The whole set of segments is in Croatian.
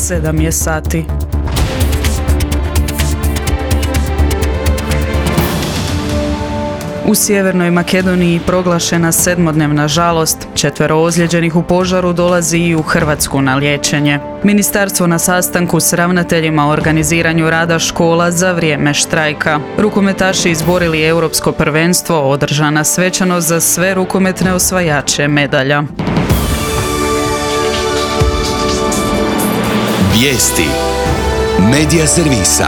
7 je sati. U Sjevernoj Makedoniji proglašena 7-dnevna žalost. 4 ozlijeđenih u požaru dolazi i u Hrvatsku na liječenje. Ministarstvo na sastanku s ravnateljima o organiziranju rada škola za vrijeme štrajka. Rukometaši izborili europsko prvenstvo, održana svečanost za sve rukometne osvajače medalja. Vijesti Medija servisa.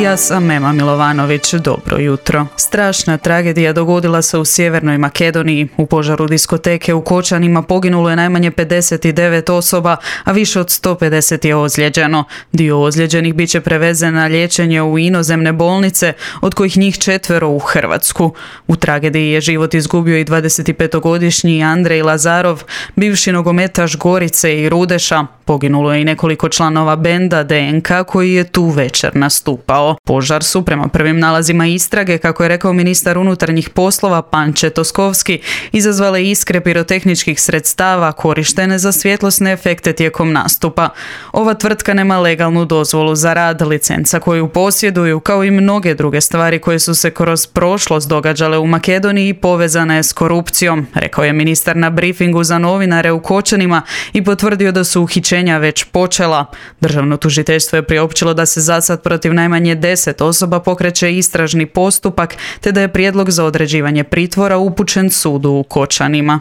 Ja sam Ema Milovanović, dobro jutro. Strašna tragedija dogodila se u Sjevernoj Makedoniji. U požaru diskoteke u Kočanima poginulo je najmanje 59 osoba, a više od 150 je ozlijeđeno. Dio ozlijeđenih bit će prevezen na liječenje u inozemne bolnice, od kojih njih 4 u Hrvatsku. U tragediji je život izgubio i 25-godišnji Andrej Lazarov, bivši nogometaš Gorice i Rudeša. Poginulo je i nekoliko članova benda DNK koji je tu večer nastupao. Požar su, prema prvim nalazima istrage, kako je rekao ministar unutarnjih poslova Panče Toskovski, izazvale iskre pirotehničkih sredstava korištene za svjetlosne efekte tijekom nastupa. Ova tvrtka nema legalnu dozvolu za rad, licenca koju posjeduju, kao i mnoge druge stvari koje su se kroz prošlost događale u Makedoniji, povezana je s korupcijom, rekao je ministar na brifingu za novinare u Kočanima i potvrdio da su uhićenja već počela. Državno tužiteljstvo je priopćilo da se zasad protiv najmanje 10 osoba pokreće istražni postupak, te da je prijedlog za određivanje pritvora upućen sudu u Kočanima.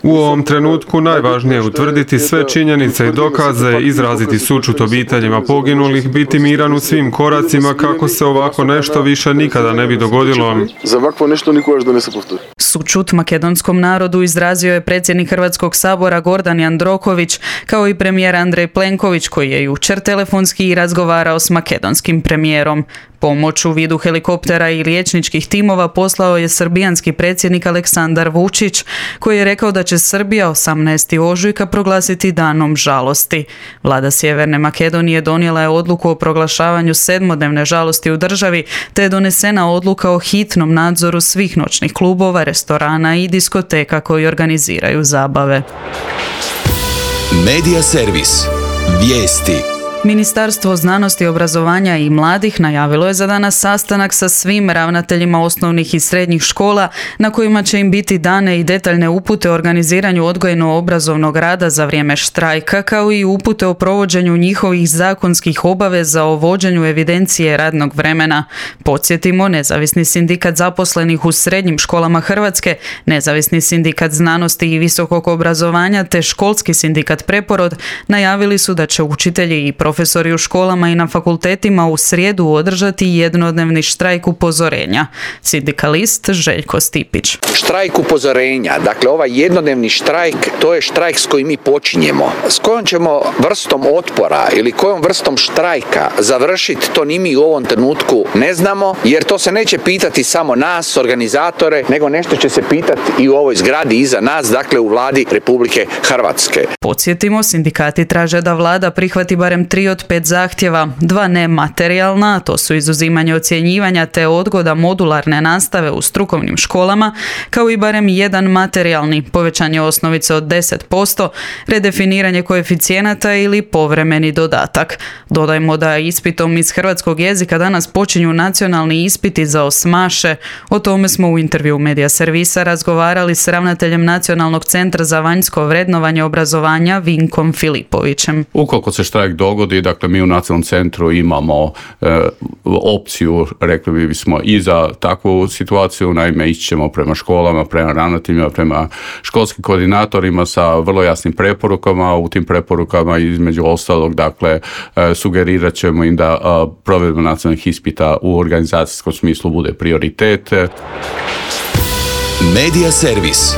U ovom trenutku najvažnije je utvrditi sve činjenice i dokaze, izraziti sućut obiteljima poginulih, biti miran u svim koracima kako se ovako nešto više nikada ne bi dogodilo. Sućut makedonskom narodu izrazio je predsjednik Hrvatskog sabora Gordan Jandroković, kao i premijer Andrej Plenković, koji je jučer telefonski razgovarao s makedonskim premijerom. Pomoć u vidu helikoptera i liječničkih timova poslao je srbijanski predsjednik Aleksandar Vučić, koji je rekao da će Srbija 18. ožujka proglasiti danom žalosti. Vlada Sjeverne Makedonije donijela je odluku o proglašavanju 7-dnevne žalosti u državi, te je donesena odluka o hitnom nadzoru svih noćnih klubova, restorana i diskoteka koji organiziraju zabave. Medija servis. Vijesti. Ministarstvo znanosti, obrazovanja i mladih najavilo je za danas sastanak sa svim ravnateljima osnovnih i srednjih škola na kojima će im biti dane i detaljne upute o organiziranju odgojno-obrazovnog rada za vrijeme štrajka, kao i upute o provođenju njihovih zakonskih obaveza o vođenju evidencije radnog vremena. Podsjetimo, Nezavisni sindikat zaposlenih u srednjim školama Hrvatske, Nezavisni sindikat znanosti i visokog obrazovanja te Školski sindikat Preporod najavili su da će učitelji i profesori u školama i na fakultetima u srijedu održati jednodnevni štrajk upozorenja. Sindikalist Željko Stipić. Štrajk upozorenja, dakle ovaj jednodnevni štrajk, to je štrajk s kojim mi počinjemo. S kojom ćemo vrstom otpora ili kojom vrstom štrajka završiti, to ni mi u ovom trenutku ne znamo, jer to se neće pitati samo nas, organizatore, nego nešto će se pitati i u ovoj zgradi iza nas, dakle u Vladi Republike Hrvatske. Podsjetimo, sindikati traže da vlada prihvati barem 3 od 5 zahtjeva, 2 nematerijalna, to su izuzimanje ocjenjivanja te odgoda modularne nastave u strukovnim školama, kao i barem 1 materijalni, povećanje osnovice od 10%, redefiniranje koeficijenata ili povremeni dodatak. Dodajmo da ispitom iz hrvatskog jezika danas počinju nacionalni ispiti za osmaše. O tome smo u intervju Medija servisa razgovarali s ravnateljem Nacionalnog centra za vanjsko vrednovanje obrazovanja Vinkom Filipovićem. Ukoliko se štrajk dogodi, dakle mi u Nacionalnom centru imamo opciju, rekli bismo, i za takvu situaciju, naime ići ćemo prema školama, prema ravnateljima, prema školskim koordinatorima sa vrlo jasnim preporukama. U tim preporukama između ostalog, dakle, sugerirat ćemo im da provedba nacionalnih ispita u organizacijskom smislu bude prioritet. Medija servis.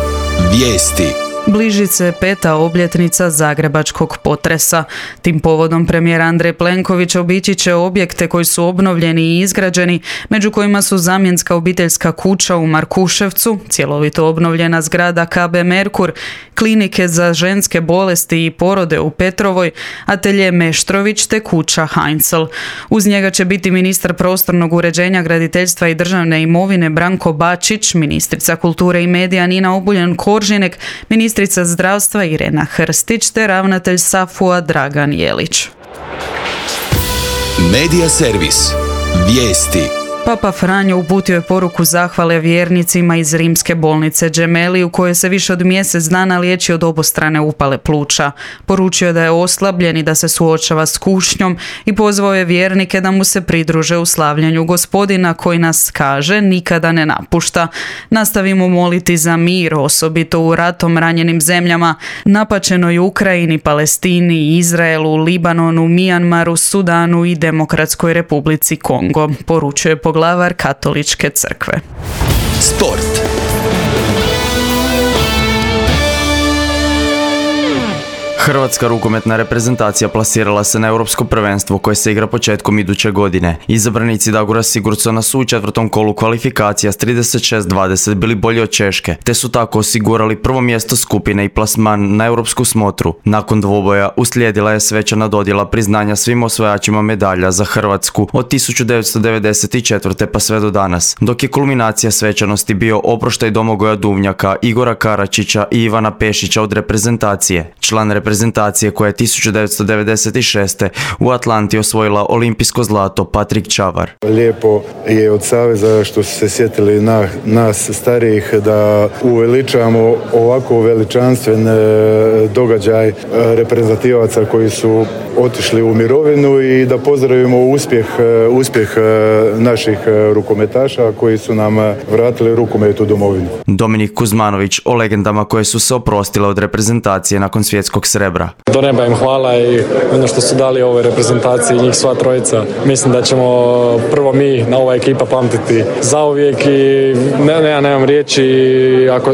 Vijesti. Bliži se 5. obljetnica zagrebačkog potresa. Tim povodom premijer Andrej Plenković obići će objekte koji su obnovljeni i izgrađeni, među kojima su zamjenska obiteljska kuća u Markuševcu, cjelovito obnovljena zgrada KB Merkur, klinike za ženske bolesti i porode u Petrovoj, atelje Meštrović te kuća Heinzel. Uz njega će biti ministar prostornog uređenja, graditeljstva i državne imovine Branko Bačić, ministrica kulture i medija Nina Obuljen Koržinek, ministar ministrica zdravstva Irena Hrstić te ravnatelj SAFU-a Dragan Jelić. Medija servis. Vijesti. Papa Franjo uputio je poruku zahvale vjernicima iz rimske bolnice Gemelli u kojoj se više od mjesec dana liječi od obostrane upale pluća. Poručio je da je oslabljen i da se suočava s kušnjom i pozvao je vjernike da mu se pridruže u slavljanju Gospodina koji nas, kaže, nikada ne napušta. Nastavimo moliti za mir, osobito u ratom ranjenim zemljama, napačenoj Ukrajini, Palestini, Izraelu, Libanonu, Mijanmaru, Sudanu i Demokratskoj Republici Kongo, poručio je poglavar Katoličke crkve. Sport. Hrvatska rukometna reprezentacija plasirala se na europsko prvenstvo koje se igra početkom iduće godine. Izabranici Dagora Sigurdsona su u četvrtom kolu kvalifikacija s 36-20 bili bolji od Češke, te su tako osigurali prvo mjesto skupine i plasman na europsku smotru. Nakon dvoboja uslijedila je svečana dodjela priznanja svim osvajačima medalja za Hrvatsku od 1994. pa sve do danas, dok je kulminacija svečanosti bio oproštaj Domagoja Duvnjaka, Igora Karačića i Ivana Pešića od reprezentacije. Član reprezentacije koja je 1996. u Atlanti osvojila olimpijsko zlato, Patrik Čavar. Lijepo je od Saveza što su se sjetili nas starijih da uveličamo ovako veličanstven događaj reprezentativaca koji su otišli u mirovinu i da pozdravimo uspjeh naših rukometaša koji su nam vratili rukomet u domovinu. Dominik Kuzmanović o legendama koje su se oprostile od reprezentacije nakon svjetskog srebra. Do neba im hvala i ono što su dali ovoj reprezentaciji, njih sva trojica. Mislim da ćemo prvo mi na ova ekipa pamtiti zauvijek i nemam riječi,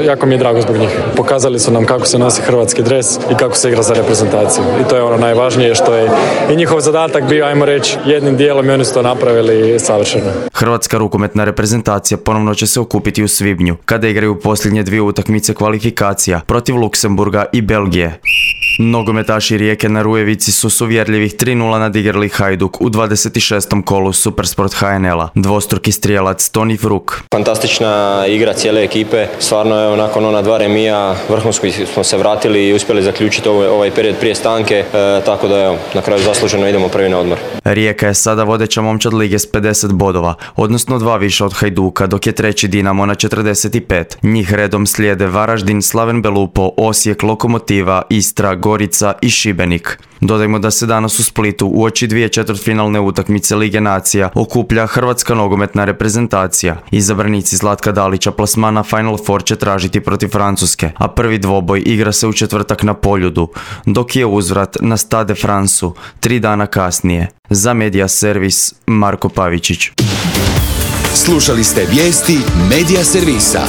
jako mi je drago zbog njih. Pokazali su nam kako se nosi hrvatski dres i kako se igra za reprezentaciju. I to je ono najvažnije što je i njihov zadatak bio, ajmo reći, jednim dijelom i oni su to napravili savršeno. Hrvatska rukometna reprezentacija ponovno će se okupiti u svibnju, kada igraju posljednje dvije utakmice kvalifikacija protiv Luksemburga i Belgije. Nogometaši Rijeke na Rujevici su s uvjerljivih 3:0 nadigrali Hajduk u 26. kolu Supersport HNL-a. Dvostruki strijelac Toni Fruk. Fantastična igra cijele ekipe, stvarno je nakon ona dva remija vrhunski smo se vratili i uspjeli zaključiti ovaj period prije stanke, tako da evo, na kraju zasluženo idemo prvi na odmor. Rijeka je sada vodeća momčad lige s 50 bodova, odnosno 2 više od Hajduka, dok je treći Dinamo na 45. Njih redom slijede Varaždin, Slaven Belupo, Osijek, Lokomotiva, Istra, Gorica i Šibenik. Dodajmo da se danas u Splitu uoči dvije četvrtfinalne utakmice Lige nacija okuplja Hrvatska nogometna reprezentacija. Izabranici Zlatka Dalića plasmana Final Four će tražiti protiv Francuske, a prvi dvoboj igra se u četvrtak na Poljudu, dok je uzvrat na Stade Francu 3 dana kasnije. Za Medija servis Marko Pavičić. Slušali ste vijesti Medija servisa.